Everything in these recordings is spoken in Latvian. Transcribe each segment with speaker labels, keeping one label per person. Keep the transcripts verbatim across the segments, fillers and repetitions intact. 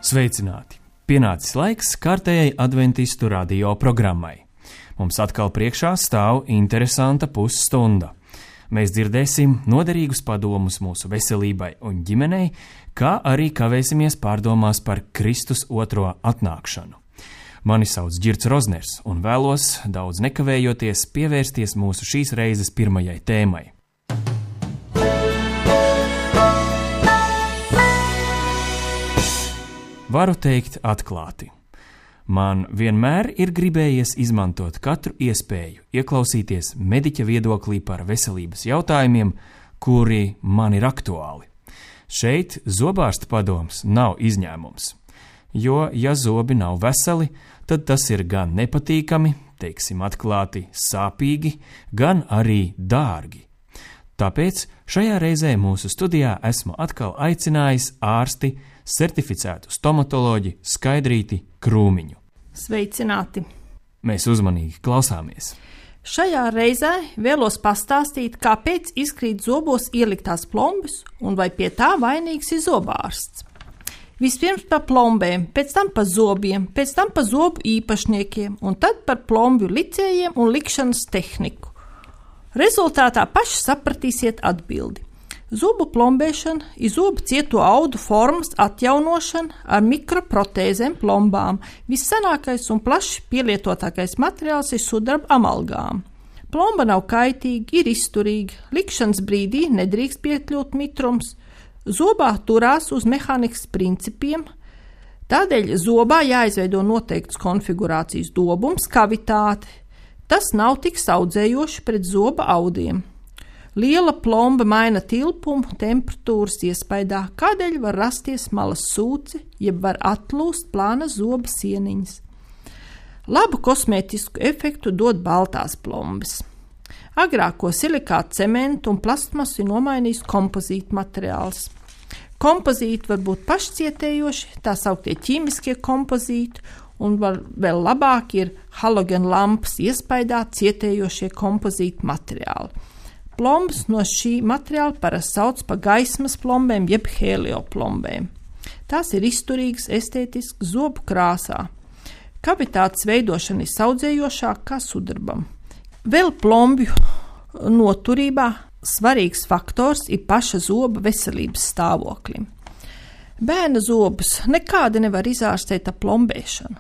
Speaker 1: Sveicināti! Pienācis laiks kārtējai adventistu radio programmai. Mums atkal priekšā stāv interesanta pusstunda. Mēs dzirdēsim noderīgus padomus mūsu veselībai un ģimenei, kā arī kavēsimies pārdomās par Kristus otro atnākšanu. Mani sauc Girts Rozners un vēlos, daudz nekavējoties, pievērsties mūsu šīs reizes pirmajai tēmai. Varu teikt atklāti. Man vienmēr ir gribējies izmantot katru iespēju, ieklausīties mediķa viedoklī par veselības jautājumiem, kuri man ir aktuāli. Šeit zobārsta padoms nav izņēmums, jo, ja zobi nav veseli, tad tas ir gan nepatīkami, teiksim atklāti, sāpīgi, gan arī dārgi. Tāpēc šajā reizē mūsu studijā esmu atkal aicinājis ārsti, certificētu stomatoloģi Skaidrīti Krūmiņu.
Speaker 2: Sveicināti!
Speaker 1: Mēs uzmanīgi klausāmies.
Speaker 2: Šajā reizē vēlos pastāstīt, kāpēc izkrīt zobos ieliktās plombas un vai pie tā vainīgs ir zobārsts. Vispirms par plombēm, pēc tam par zobiem, pēc tam par zobu īpašniekiem un tad par plombju licējiem un likšanas tehniku. Rezultātā paši sapratīsiet atbildi. Zobu plombēšana ir zobu cieto audu formas atjaunošana ar mikroprotēzēm plombām. Vissenākais un plaši pielietotākais materiāls ir sudraba amalgām. Plomba nav kaitīga, ir izturīga, likšanas brīdī nedrīkst piekļūt mitrums, zobā turās uz mehānikas principiem, tādēļ zobā jāizveido noteikts konfigurācijas dobums, kavitāte. Tas nav tik saudzējoši pret zoba audiem. Liela plomba maina tilpumu temperatūras iespaidā, kādēļ var rasties malas sūci, jeb var atlūst plāna zoba sieniņas. Labu kosmētisku efektu dod baltās plombas. Agrāko silikātu cementu un plastmasu ir nomainījis kompozīta materiāls. Kompozīti var būt pašcietējoši, tā sauktie ķīmiskie kompozīti, un var, vēl labāk ir halogēna lampas iespaidā cietējošie kompozīta materiāli. Plombas no šī materiāla parasti sauc par gaismas plombēm jeb helioplombēm. Tās ir izturīgas, estētiskas zobu krāsā. Kavitātes veidošana ir saudzējošāka kā sudrabam. Vēl plombju noturībā svarīgs faktors ir paša zoba veselības stāvoklim. Bērna zobus nekādi nevar izārstēt ar plombēšanu.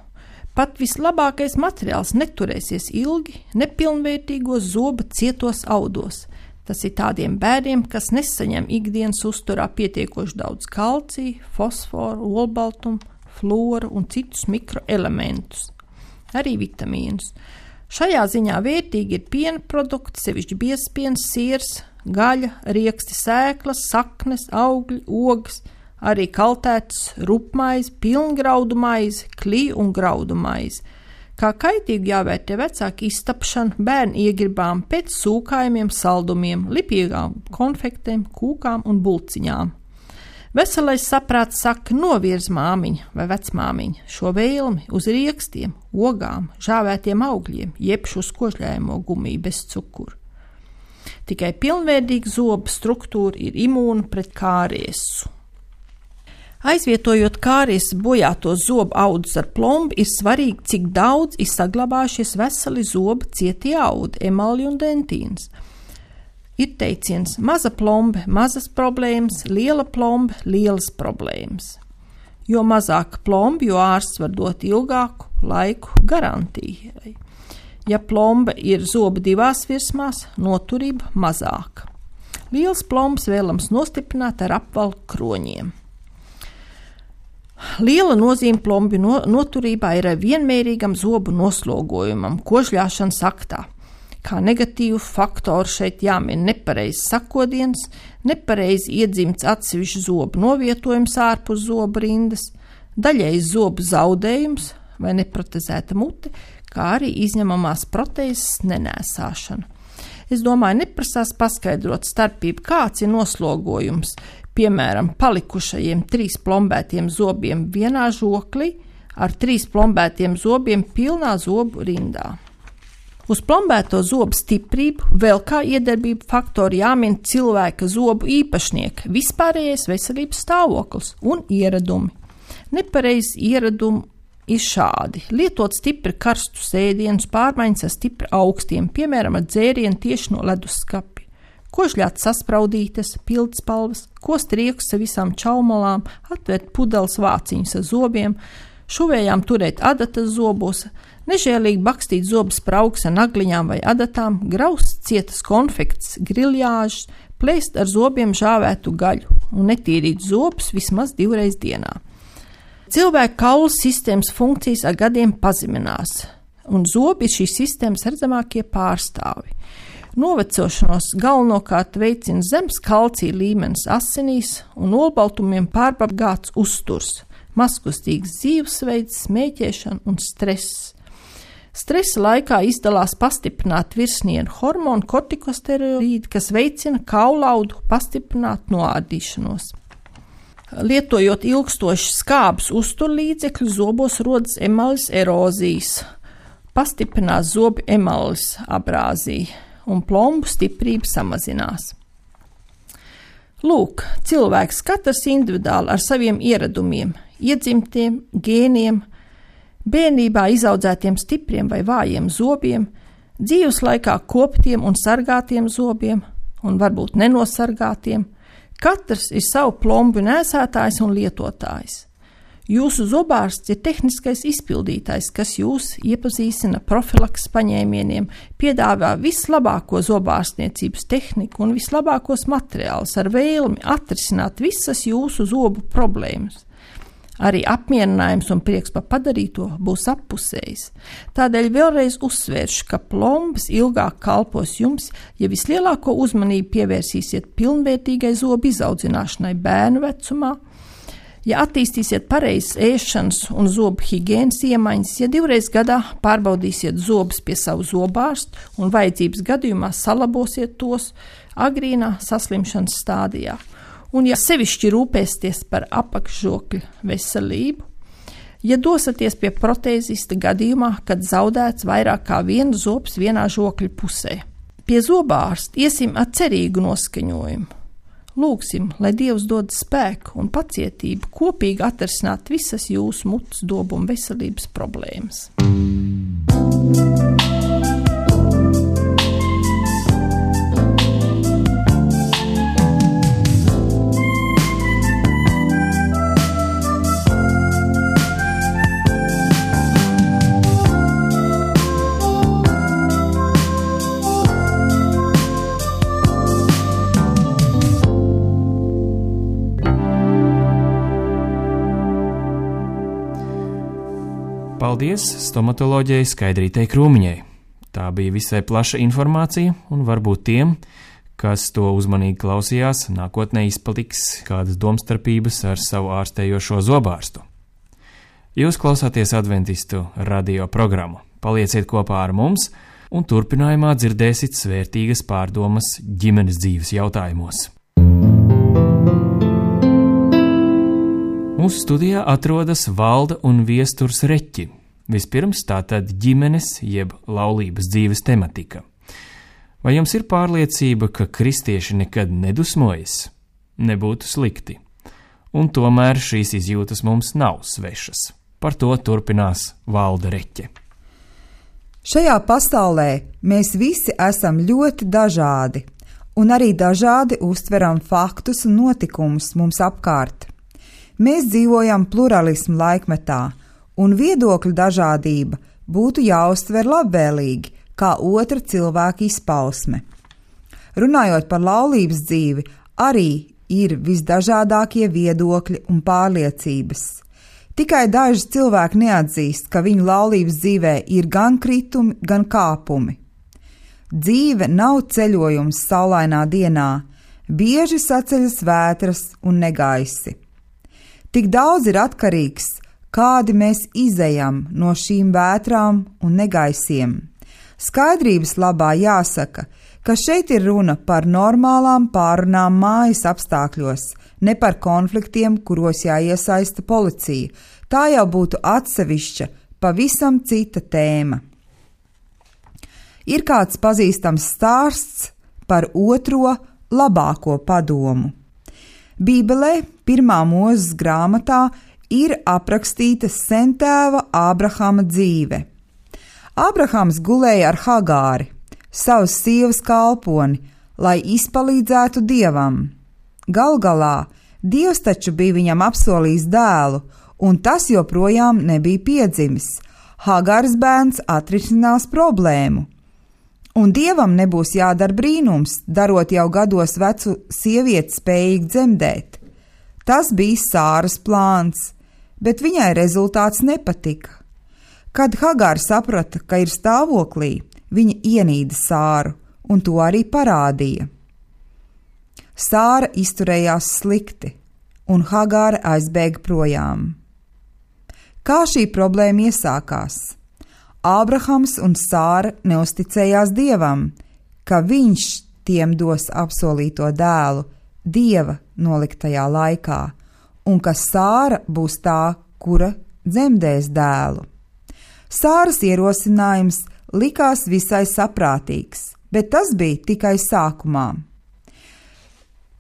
Speaker 2: Pat vislabākais materiāls neturēsies ilgi nepilnvērtīgos zoba cietos audos. Tas ir tādiem bērniem, kas nesaņem ikdienas uzturā pietiekoši daudz kalcija, fosforu, olbaltumu, floru un citus mikroelementus, arī vitamīnus. Šajā ziņā vērtīgi ir piena produkti, sevišķi biezpiens, siers, gaļa, rieksti, sēklas, saknes, augļi, ogas, arī kaltēts rupmaize, pilngraudu maize, kliju un graudu maize. Kā kaitīgi jāvērtē vecāku iztapšanu, bērnu iegribām pēc sūkājumiem, saldumiem, lipīgām konfektēm, kūkām un bulciņām. Veselais saprāts saka, novirz māmiņa vai vecmāmiņa šo vēlmi uz riekstiem, ogām, žāvētiem augļiem, jeb uz kožļājamo gumiju bez cukuru. Tikai pilnvērtīga zoba struktūra ir imūna pret kāriesu. Aizvietojot kāries bojāto zobu audus ar plombu, ir svarīgi, cik daudz ir saglabājušies veseli zoba cietie audi, emalji un dentīns. Ir teiciens, maza plomba, mazas problēmas, liela plomba, lielas problēmas. Jo mazāka plomba, jo ārsts var dot ilgāku laiku garantijai. Ja plomba ir zoba divās virsmās, noturība mazāka. Liels plombas vēlams nostiprināt ar apvalku kroņiem. Liela nozīme plombju no, noturībā ir vienmērīgam zobu noslogojumam, kožļāšanas aktā. Kā negatīvu faktoru šeit jāmin nepareizs sakodiens, nepareizi iedzimts atsevišķu zobu novietojums ārpus zobu rindas, daļējs zobu zaudējums vai neprotezēta mute, kā arī izņemamās protēzes nenēsāšana. Es domāju, neprasās paskaidrot starpību, kāds ir noslogojums, piemēram, palikušajiem trīs plombētiem zobiem vienā žoklī ar trīs plombētiem zobiem pilnā zobu rindā. Uz plombēto zobu stiprību vēl kā iedarbību faktori jāmin cilvēka zobu īpašnieka, vispārējais veselības stāvoklis un ieradumi. Nepareizi ieradumi ir šādi. Lietot stipri karstus ēdienus, pārmaiņas ar stipri augstiem, piemēram, ar dzērienu tieši no leduskapja. Kožļāt saspraudītas, pildspalvas, kost riekus ar visām čaumalām, atvērt pudeles vāciņus ar zobiem, šuvējām turēt adatas zobos, nežēlīgi bakstīt zobu spraugus ar nagliņām vai adatām, graust cietas konfekts, griljāžas, plēst ar zobiem žāvētu gaļu un netīrīt zobus vismaz divreiz dienā. Cilvēka kaulu sistēmas funkcijas ar gadiem pazeminās, un zobi ir šīs sistēmas redzamākie pārstāvi. Novecošanos galvenokārt veicina zems kalcija līmenis asinīs un olbaltumiem pārbagāts uzturs, mazkustīgs dzīvesveids, smēķēšana un stress. Stresa laikā izdalās pastiprināt virsnienu hormonu kortikosteroīdi, kas veicina kaulaudu pastiprināt noārdīšanos. Lietojot ilgstoši skābus uzturlīdzekļus, zobos rodas emaļas erozijas, pastiprinās zobu emaļas abrāzija un plombu stiprība samazinās. Lūk, cilvēks katrs individuāli ar saviem ieradumiem, iedzimtiem, gēniem, bērnībā izaudzētiem stipriem vai vājiem zobiem, dzīves laikā koptiem un sargātiem zobiem un varbūt nenosargātiem. Katrs ir savu plombu nēsātājs un lietotājs. Jūsu zobārsts ir tehniskais izpildītājs, kas jūs iepazīstina profilaks paņēmieniem, piedāvā vislabāko zobārstniecības tehniku un vislabākos materiālus ar vēlmi atrisināt visas jūsu zobu problēmas. Arī apmierinājums un prieks par padarīto būs appusējis. Tādēļ vēlreiz uzsvēršu, ka plombas ilgāk kalpos jums, ja vislielāko uzmanību pievērsīsiet pilnvērtīgai zobu izaudzināšanai bērnu vecumā, ja attīstīsiet pareizas ēšanas un zobu higienas iemaņas, ja divreiz gadā pārbaudīsiet zobus pie savu zobārstu un vajadzības gadījumā salabosiet tos agrīnā saslimšanas stādijā. Un ja sevišķi rūpēsties par apakšžokļa veselību, ja dosaties pie protēzista gadījumā, kad zaudēts vairāk kā viens zobs vienā žokļa pusē. Pie zobārsta iesim ar cerīgu noskaņojumu. Lūgsim, lai Dievs dod spēku un pacietību kopīgi atrisināt visas jūsu mutes dobu un veselības problēmas.
Speaker 1: Paldies stomatoloģijai Skaidrītei Krūmiņai. Tā bija visai plaša informācija, un varbūt tiem, kas to uzmanīgi klausījās, nākotnē izpaliks kādas domstarpības ar savu ārstējošo zobārstu. Jūs klausāties Adventistu radio programmu. Palieciet kopā ar mums, un turpinājumā dzirdēsiet svērtīgas pārdomas ģimenes dzīves jautājumos. Mūsu studijā atrodas Valda un Viesturs Reķi. Vispirms tātad ģimenes jeb laulības dzīves tematika. Vai jums ir pārliecība, ka kristieši nekad nedusmojas? Nebūtu slikti. Un tomēr šīs izjūtas mums nav svešas. Par to turpinās Valda Reķe.
Speaker 3: Šajā pasaulē mēs visi esam ļoti dažādi, un arī dažādi uztveram faktus un notikumus mums apkārt. Mēs dzīvojam pluralismu laikmetā, un viedokļu dažādība būtu jāuztver labvēlīgi, kā otra cilvēka izpausme. Runājot par laulības dzīvi, arī ir visdažādākie viedokļi un pārliecības. Tikai daži cilvēki neatzīst, ka viņu laulības dzīvē ir gan kritumi, gan kāpumi. Dzīve nav ceļojums saulainā dienā, bieži saceļas vētras un negaisi. Tik daudz ir atkarīgs, kādi mēs izejam no šīm vētrām un negaisiem. Skaidrības labā jāsaka, ka šeit ir runa par normālām pārunām mājas apstākļos, ne par konfliktiem, kuros jāiesaista policija. Tā jau būtu atsevišķa, pavisam cita tēma. Ir kāds pazīstams stāsts par otro labāko padomu. Bībelē, pirmā Mūzes grāmatā, ir aprakstīta sentēva Ābrahama dzīve. Ābrahams gulēja ar Hagāri, savas sievas kalponi, lai izpalīdzētu Dievam. Gal galā Dievs taču bija viņam apsolījis dēlu, un tas joprojām nebija piedzimis. Hagāras bērns atrisinās problēmu. Un Dievam nebūs jādara brīnums, darot jau gados vecu sievieti spējīgi dzemdēt. Tas bija Sāras plāns, bet viņai rezultāts nepatika. Kad Hagāra saprata, ka ir stāvoklī, viņa ienīda Sāru, un to arī parādīja. Sāra izturējās slikti, un Hagāra aizbēga projām. Kā šī problēma iesākās? Ābrahams un Sāra neusticējās Dievam, ka viņš tiem dos apsolīto dēlu Dieva noliktajā laikā, un ka Sāra būs tā, kura dzemdēs dēlu. Sāras ierosinājums likās visai saprātīgs, bet tas bija tikai sākumā.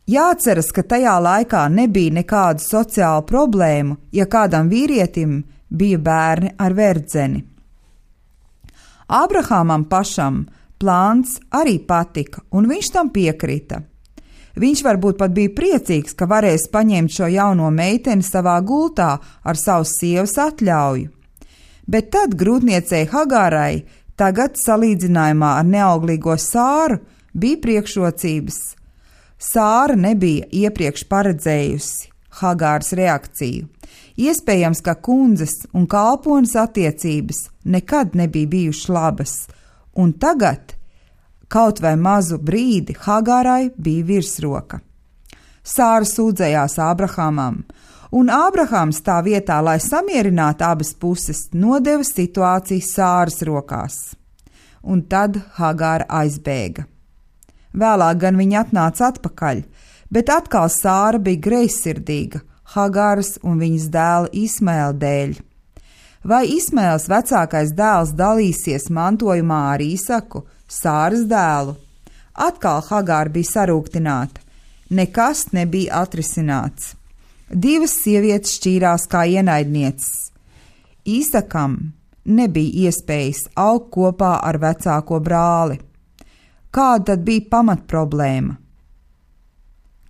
Speaker 3: Jāatceras, ka tajā laikā nebija nekādu sociālu problēmu, ja kādam vīrietim bija bērni ar verdzeni. Ābrahamam pašam plāns arī patika, un viņš tam piekrita. Viņš varbūt pat bija priecīgs, ka varēs paņemt šo jauno meiteni savā gultā ar savas sievas atļauju. Bet tad grūtniecei Hagārai, tagad salīdzinājumā ar neauglīgo Sāru, bija priekšrocības. Sāra nebija iepriekš paredzējusi Hagāras reakciju. Iespējams, ka kundzes un kalpones attiecības nekad nebija bijušas labas, un tagad, kaut vai mazu brīdi, Hagārai bija virsroka. Sāra sūdzējās Ābrahamam, un Ābrahams tā vietā, lai samierinātu abas puses, nodeva situāciju Sāras rokās. Un tad Hagāra aizbēga. Vēlāk gan viņa atnāca atpakaļ, bet atkal Sāra bija greizsirdīga Hagāras un viņas dēla Ismaela dēļ. Vai Ismaels vecākais dēls dalīsies mantojumā ar Īsaku, Sāras dēlu? Atkal Hagāra bija sarūktināta. Nekas nebija atrisināts. Divas sievietes šķīrās kā ienaidnieces. Īsakam nebija iespējas augt kopā ar vecāko brāli. Kāda tad bija pamatproblēma,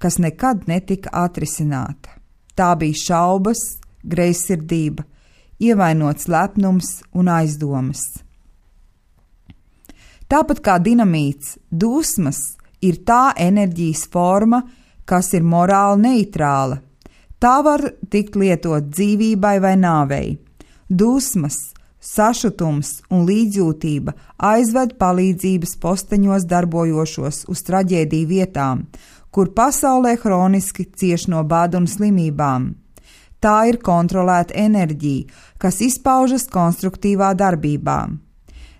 Speaker 3: kas nekad netika atrisināta? Tā bija šaubas, greizsirdība, ievainots lepnums un aizdomas. Tāpat kā dinamīts, dusmas ir tā enerģijas forma, kas ir morāli neitrāla. Tā var tikt lietot dzīvībai vai nāvei. Dusmas, sašutums un līdzjūtība aizved palīdzības posteņos darbojošos uz traģēdiju vietām, kur pasaulē hroniski cieš no bada un slimībām. Tā ir kontrolēta enerģija, kas izpaužas konstruktīvā darbībā.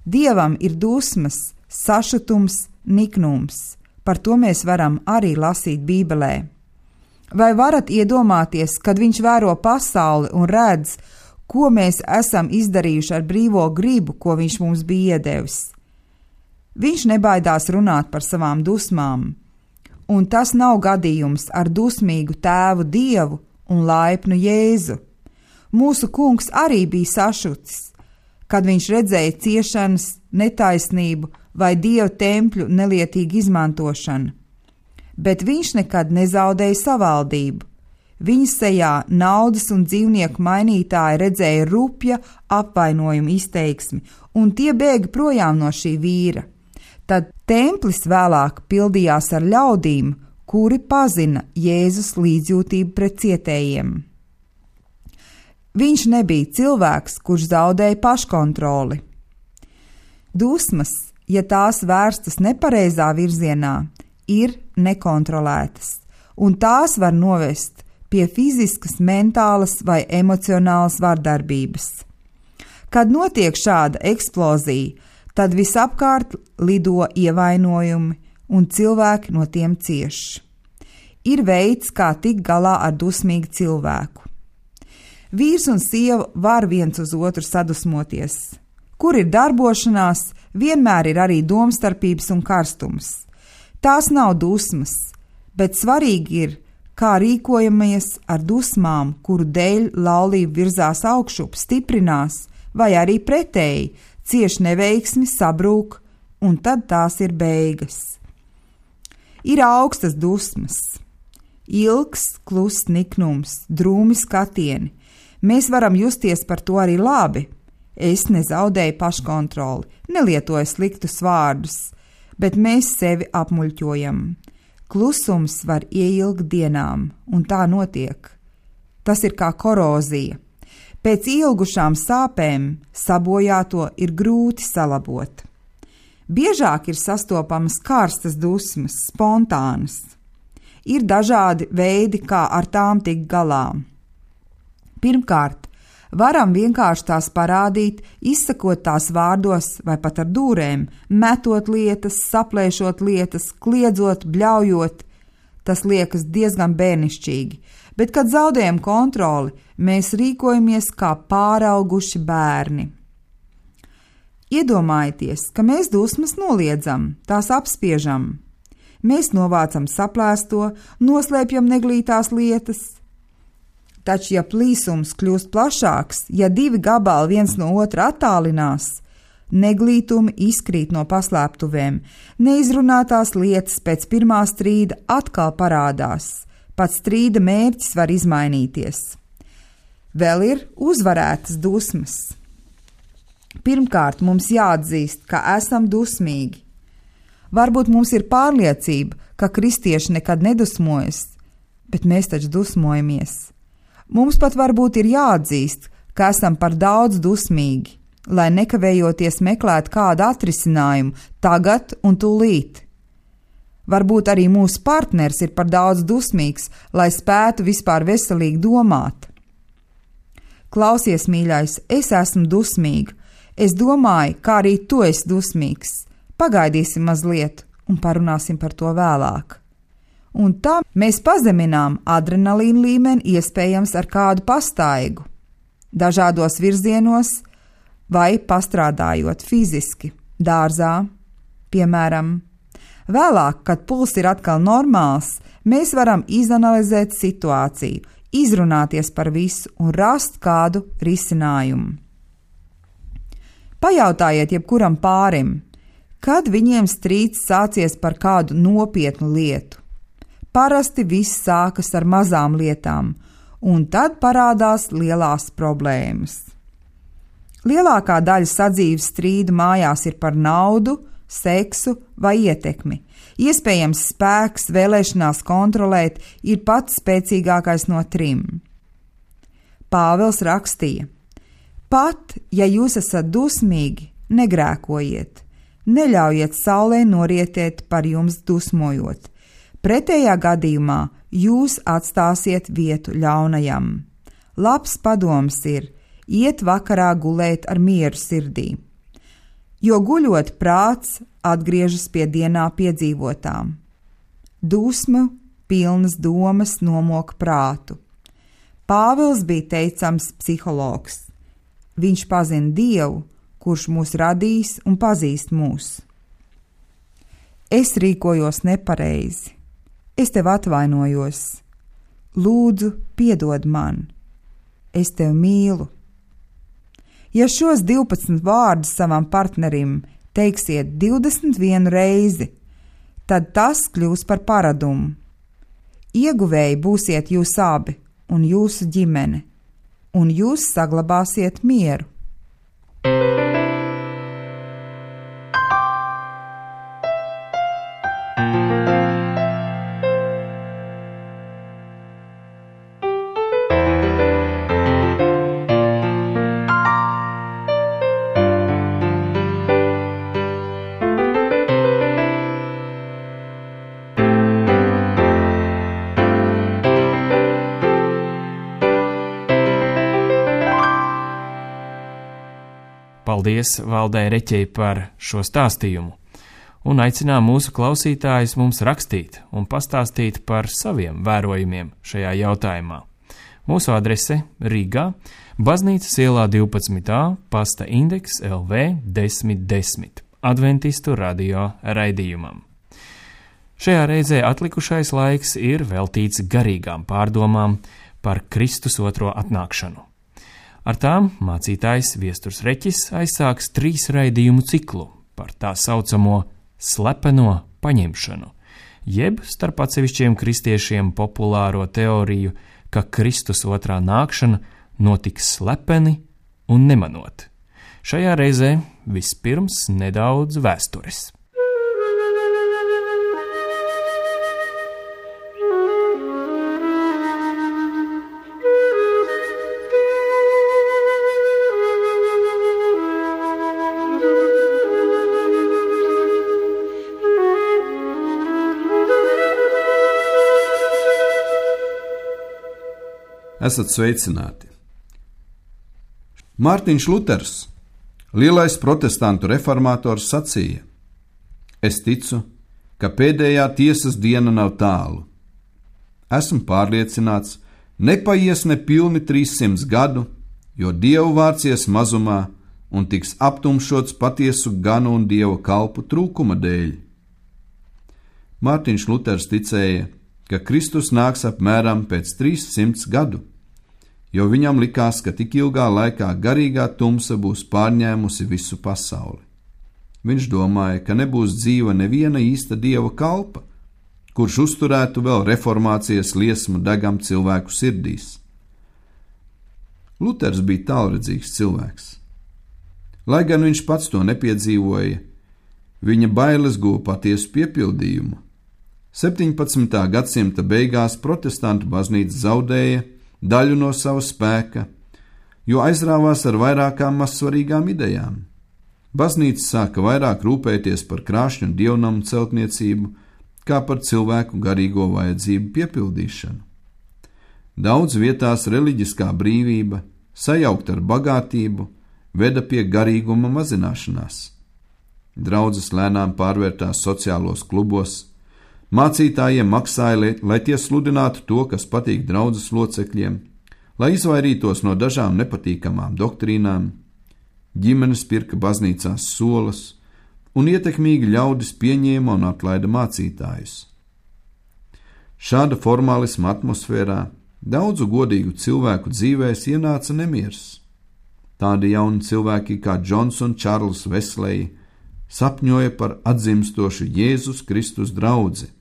Speaker 3: Dievam ir dusmas, sašutums, niknums. Par to mēs varam arī lasīt Bībelē. Vai varat iedomāties, kad viņš vēro pasauli un redz, ko mēs esam izdarījuši ar brīvo gribu, ko viņš mums bija iedevis? Viņš nebaidās runāt par savām dusmām. Un tas nav gadījums ar dusmīgu tēvu Dievu un laipnu Jēzu. Mūsu kungs arī bija sašutis, kad viņš redzēja ciešanas, netaisnību vai Dieva tempļu nelietīgu izmantošanu. Bet viņš nekad nezaudēja savaldību. Viņa sejā naudas un dzīvnieku mainītāji redzēja rupja apvainojuma izteiksmi, un tie bēga projām no šī vīra. Tad templis vēlāk pildījās ar ļaudīm, kuri pazina Jēzus līdzjūtību pret cietējiem. Viņš nebija cilvēks, kurš zaudēja paškontroli. Dusmas, ja tās vērstas nepareizā virzienā, ir nekontrolētas, un tās var novest pie fiziskas, mentālas vai emocionālas vardarbības. Kad notiek šāda eksplozija, tad visapkārt lido ievainojumi, un cilvēki no tiem cieš. Ir veids, kā tikt galā ar dusmīgu cilvēku. Vīrs un sieva var viens uz otru sadusmoties. Kur ir darbošanās, vienmēr ir arī domstarpības un karstums. Tās nav dusmas, bet svarīgi ir, kā rīkojamies ar dusmām, kuru dēļ laulība virzās augšup, stiprinās, vai arī pretēji, cieš neveiksmi, sabrūk, un tad tās ir beigas. Ir augstas dusmas, ilgs, kluss niknums, drūmi skatieni. Mēs varam justies par to arī labi. Es nezaudēju paškontroli, nelietoju sliktus vārdus, bet mēs sevi apmuļķojam. Klusums var ieilgt dienām, un tā notiek. Tas ir kā korozija. Pēc ilgušām sāpēm sabojāto ir grūti salabot. Biežāk ir sastopamas karstas dusmas, spontānas. Ir dažādi veidi, kā ar tām tikt galā. Pirmkārt, varam vienkārši tās parādīt, izsakot tās vārdos vai pat ar dūrēm, metot lietas, saplēšot lietas, kliedzot, bļaujot. Tas liekas diezgan bērnišķīgi, bet, kad zaudējam kontroli, mēs rīkojamies kā pārauguši bērni. Iedomājieties, ka mēs dusmas noliedzam, tās apspiežam. Mēs novācam saplēsto, noslēpjam neglītās lietas. Taču, ja plīsums kļūst plašāks, ja divi gabali viens no otra attālinās, neglītumi izkrīt no paslēptuvēm, neizrunātās lietas pēc pirmā strīda atkal parādās, pat strīda mērķis var izmainīties. Vēl ir uzvarētas dusmas. Pirmkārt, mums jāatzīst, ka esam dusmīgi. Varbūt mums ir pārliecība, ka kristieši nekad nedusmojas, bet mēs taču dusmojamies. Mums pat varbūt ir jāatzīst, ka esam par daudz dusmīgi, lai nekavējoties meklētu kādu atrisinājumu tagad un tūlīt. Varbūt arī mūsu partners ir par daudz dusmīgs, lai spētu vispār veselīgi domāt. Klausies, mīļais, es esmu dusmīga. Es domāju, kā arī tu esi dusmīgs. Pagaidīsim mazliet un parunāsim par to vēlāk. Un tā mēs pazeminām adrenalīna līmeni iespējams ar kādu pastaigu, dažādos virzienos vai pastrādājot fiziski, dārzā, piemēram. Vēlāk, kad puls ir atkal normāls, mēs varam izanalizēt situāciju, izrunāties par visu un rast kādu risinājumu. Pajautājiet jebkuram pārim, kad viņiem strīds sācies par kādu nopietnu lietu. Parasti viss sākas ar mazām lietām, un tad parādās lielās problēmas. Lielākā daļa sadzīves strīdu mājās ir par naudu, seksu vai ietekmi. Iespējams, spēks, vēlēšanās kontrolēt ir pats spēcīgākais no trim. Pāvils rakstīja: pat, ja jūs esat dusmīgi, negrēkojiet, neļaujiet saulē norietēt par jums dusmojot. Pretējā gadījumā jūs atstāsiet vietu ļaunajam. Labs padoms ir iet vakarā gulēt ar mieru sirdī, jo guļot prāts atgriežas pie dienā piedzīvotām. Dusmu pilnas domas nomoka prātu. Pāvils bija teicams psihologs. Viņš pazina Dievu, kurš mūs radīs un pazīst mūs. Es rīkojos nepareizi. Es tev atvainojos. Lūdzu, piedod man. Es tevi mīlu. Ja šos divpadsmit vārdus savam partnerim teiksiet divdesmit vienu reizi, tad tas kļūs par paradumu. Ieguvēji būsiet jūs abi un jūsu ģimene, un jūs saglabāsiet mieru.
Speaker 1: Paldies Valdei Reķei par šo stāstījumu, un aicinām mūsu klausītājus mums rakstīt un pastāstīt par saviem vērojumiem šajā jautājumā. Mūsu adrese Rīgā, Baznīcas ielā divpadsmit A, pasta indeks L V desmit desmit, Adventistu radio raidījumam. Šajā reizē atlikušais laiks ir veltīts garīgām pārdomām par Kristus otro atnākšanu. Ar tām mācītājs Viesturs Reķis aizsāks trīs raidījumu ciklu par tā saucamo slepeno paņemšanu, jeb starp atsevišķiem kristiešiem populāro teoriju, ka Kristus otrā nākšana notiks slepeni un nemanot. Šajā reizē vispirms nedaudz vēstures.
Speaker 4: Esat sveicināti! Mārtiņš Luters, lielais protestantu reformātors, sacīja: Es ticu, ka pēdējā tiesas diena nav tālu. Esmu pārliecināts, nepaies ne pilni trīssimts gadu, jo Dievu vārds ies mazumā un tiks aptumšots patiesu ganu un Dieva kalpu trūkuma dēļ. Mārtiņš Luters ticēja, ka Kristus nāks apmēram pēc trīssimts gadu, jo viņam likās, ka tik ilgā laikā garīgā tumsa būs pārņēmusi visu pasauli. Viņš domāja, ka nebūs dzīva neviena īsta Dieva kalpa, kurš uzturētu vēl reformācijas liesmu degam cilvēku sirdīs. Luters bija tālredzīgs cilvēks. Lai gan viņš pats to nepiedzīvoja, viņa bailes guva patiesu piepildījumu. septiņpadsmitā gadsimta beigās protestantu baznīca zaudēja daļu no sava spēka, jo aizrāvās ar vairākām mazsvarīgām idejām. Baznīca sāka vairāk rūpēties par krāšņu dievnamu celtniecību, kā par cilvēku garīgo vajadzību piepildīšanu. Daudz vietās reliģiskā brīvība, sajaukt ar bagātību, veda pie garīguma mazināšanās. Draudzes lēnām pārvērtās sociālos klubos, mācītājiem maksāja, lai tie sludinātu to, kas patīk draudzes locekļiem, lai izvairītos no dažām nepatīkamām doktrīnām, ģimenes pirka baznīcās solas, un ietekmīgi ļaudis pieņēma un atlaida mācītājus. Šāda formālisma atmosfērā daudzu godīgu cilvēku dzīvēs ienāca nemiers. Tādi jauni cilvēki kā Džons un Čārls Vesleji sapņoja par atzimstošu Jēzus Kristus draudzi.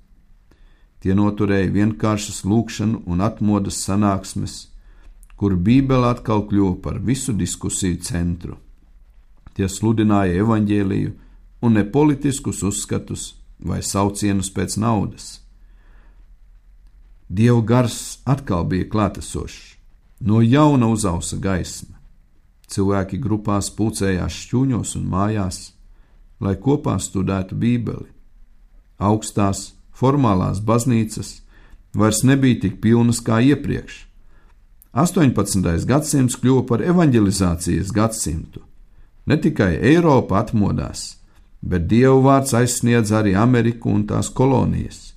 Speaker 4: Tie noturēja vienkāršas lūgšanu un atmodas sanāksmes, kur Bībele atkal kļuva par visu diskusiju centru. Tie sludināja evaņģēliju un ne politiskus uzskatus vai saucienus pēc naudas. Dieva gars atkal bija klātesošs, no jauna uzausa gaisma. Cilvēki grupās pulcējās šķūņos un mājās, lai kopā studētu Bībeli. Augstās, formālās baznīcas vairs nebija tik pilnas kā iepriekš. astoņpadsmitais gadsimts kļuva par evaņģelizācijas gadsimtu. Ne tikai Eiropa atmodās, bet Dieva vārds aizsniedz arī Ameriku un tās kolonijas.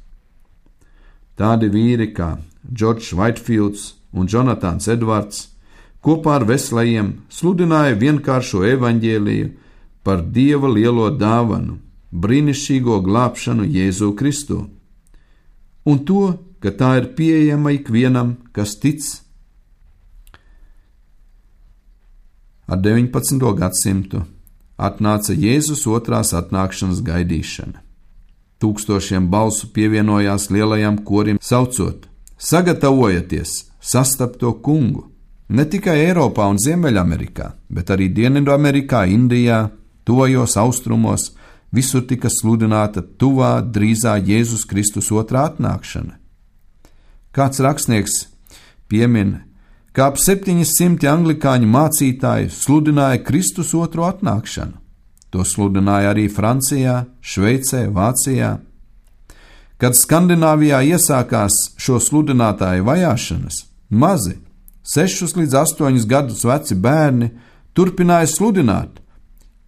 Speaker 4: Tādi vīri kā Džordžs Vaitfields un Jonatāns Edvards kopā ar Veslejiem sludināja vienkāršo evaņģēliju par Dieva lielo dāvanu, brīnišķīgo glābšanu Jēzu Kristu, un to, ka tā ir pieejama ikvienam, kas tic. Ar deviņpadsmito gadsimtu atnāca Jēzus otrās atnākšanas gaidīšana. Tūkstošiem balsu pievienojās lielajam korim, saucot: Sagatavojieties sastapt to kungu! Ne tikai Eiropā un Ziemeļamerikā, bet arī Dienvidamerikā, Indijā, tuvajos austrumos, visur tika sludināta tuvā, drīzā Jēzus Kristus otrā atnākšana. Kāds rakstnieks piemin, ka ap septiņi simti anglikāņu mācītāji sludināja Kristus otro atnākšanu. To sludināja arī Francijā, Šveicē, Vācijā. Kad Skandināvijā iesākās šo sludinātāju vajāšanas, mazi, sešus līdz astoņus gadus veci bērni turpināja sludināt,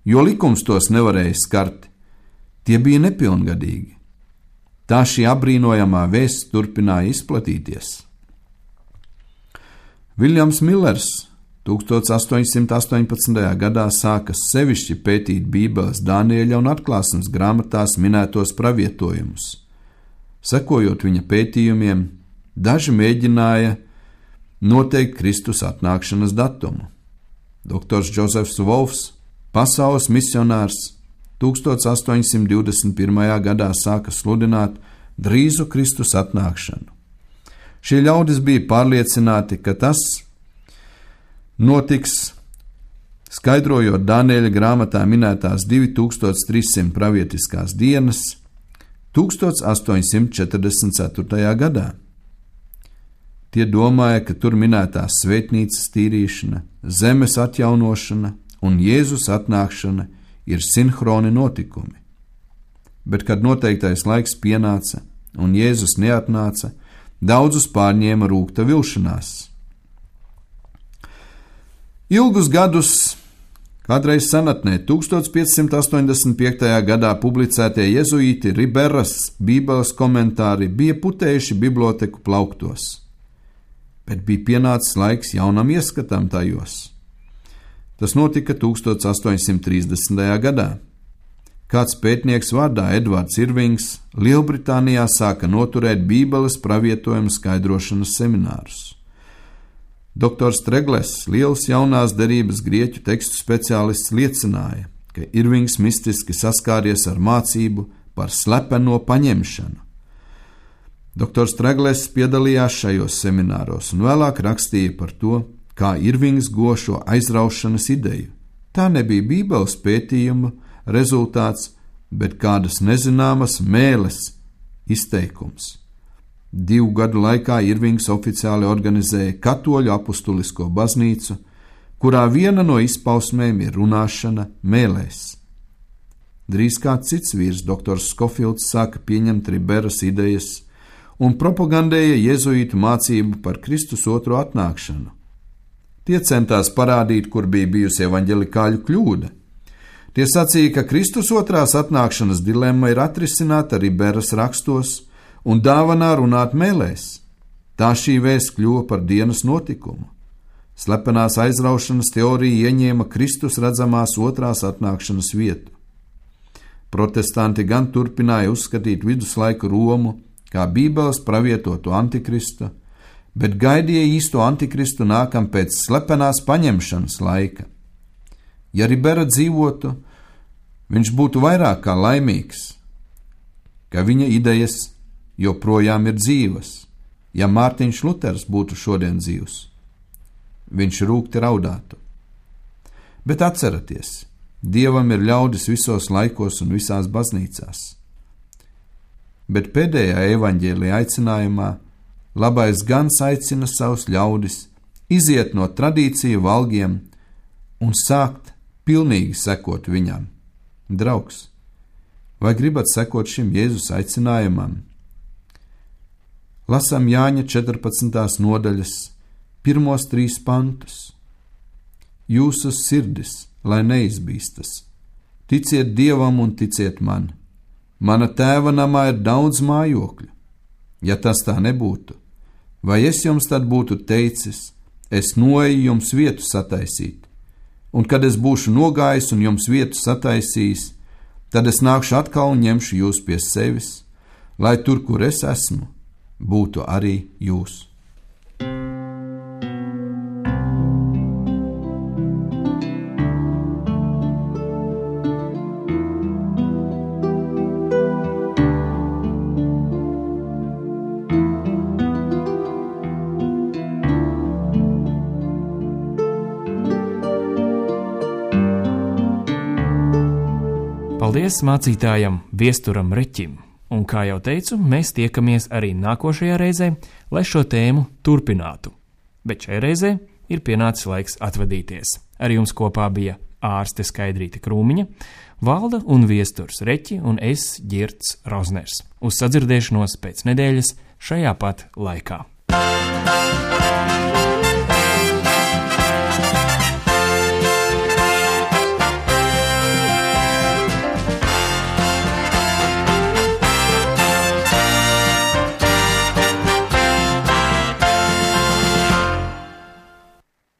Speaker 4: jo likums tos nevarēja skart. Tie bija nepilngadīgi. Tā šī apbrīnojamā vēsts turpināja izplatīties. Viljams Millers astoņpadsmit astoņpadsmitajā gadā sāka sevišķi pētīt Bībeles Daniēļa un Atklāsmes grāmatās minētos pravietojumus. Sekojot viņa pētījumiem, daži mēģināja noteikt Kristus atnākšanas datumu. Doktors Džozefs Volfs, pasaules misionārs, tūkstoš astoņi simti divdesmit pirmajā gadā sāka sludināt drīzu Kristus atnākšanu. Šie ļaudis bija pārliecināti, ka tas notiks, skaidrojot Daniēļa grāmatā minētās divi tūkstoši trīs simti pravietiskās dienas tūkstoš astoņi simti četrdesmit ceturtajā gadā. Tie domāja, ka tur minētās svētnīcas tīrīšana, zemes atjaunošana un Jēzus atnākšana ir sinhroni notikumi. Bet, kad noteiktais laiks pienāca un Jēzus neatnāca, daudzus pārņēma rūgta vilšanās. Ilgus gadus, kādreiz senatnē, tūkstoš piecsimt astoņdesmit piektajā gadā publicētie jezuīti Riberas bībeles komentāri bija putējuši biblioteku plauktos, bet bija pienācis laiks jaunam ieskatam tajos. Tas notika tūkstoš astoņi simti trīsdesmitajā gadā. Kāds pētnieks vārdā Edvards Irvings Lielbritānijā sāka noturēt bībeles pravietojumu skaidrošanas seminārus. Doktors Tregles, liels jaunās derības grieķu tekstu speciālists, liecināja, ka Irvings mistiski saskāries ar mācību par slepeno paņemšanu. Doktors Tregles piedalījās šajos semināros un vēlāk rakstīja par to, kā Irvings guva šo aizraušanas ideju. Tā nebija bībeles pētījuma rezultāts, bet kādas nezināmas mēles izteikums. Divu gadu laikā Irvings oficiāli organizēja katoļu apustulisko baznīcu, kurā viena no izpausmēm ir runāšana mēlēs. Drīz kāds cits vīrs, doktors Skofilds, sāka pieņemt Riberas idejas un propagandēja jezuītu mācību par Kristus otro atnākšanu. Tie centās parādīt, kur bija bijusi evaņģelikāļu kļūda. Tie sacīja, ka Kristus otrās atnākšanas dilemma ir atrisināta Riberas rakstos un dāvanā runāt mēlēs. Tā šī vēsts kļuva par dienas notikumu. Slepenās aizraušanas teorija ieņēma Kristus redzamās otrās atnākšanas vietu. Protestanti gan turpināja uzskatīt viduslaiku Romu kā bībeles pravietotu antikristu, bet gaidīja īsto antikristu nākam pēc slepenās paņemšanas laika. Ja Ribera dzīvotu, viņš būtu vairāk kā laimīgs, ka viņa idejas joprojām ir dzīvas. Ja Mārtiņš Luters būtu šodien dzīvs, viņš rūgti raudātu. Bet atceraties, Dievam ir ļaudis visos laikos un visās baznīcās. Bet pēdējā evaņģēlija aicinājumā labais gans aicina savus ļaudis iziet no tradīciju valgiem un sākt pilnīgi sekot viņam. Draugs, vai gribat sekot šim Jēzus aicinājumam? Lasām Jāņa četrpadsmitās nodaļas pirmos trīs pantus. Jūsu sirdis, lai neizbīstas, ticiet Dievam un ticiet man. Mana tēva namā ir daudz mājokļu. Ja tas tā nebūtu, vai es jums tad būtu teicis, es noeju jums vietu sataisīt, un kad es būšu nogājis un jums vietu sataisījis, tad es nākšu atkal un ņemšu jūs pie sevis, lai tur, kur es esmu, būtu arī jūs.
Speaker 1: Paldies mācītājam Viesturam Reķim, un, kā jau teicu, mēs tiekamies arī nākošajā reizē, lai šo tēmu turpinātu. Bet šai reizē ir pienācis laiks atvadīties. Ar jums kopā bija ārste Skaidrīte Krūmiņa, Valda un Viesturs Reķi un es, Ģirts Rozners. Uz sadzirdēšanos pēc nedēļas šajā pat laikā.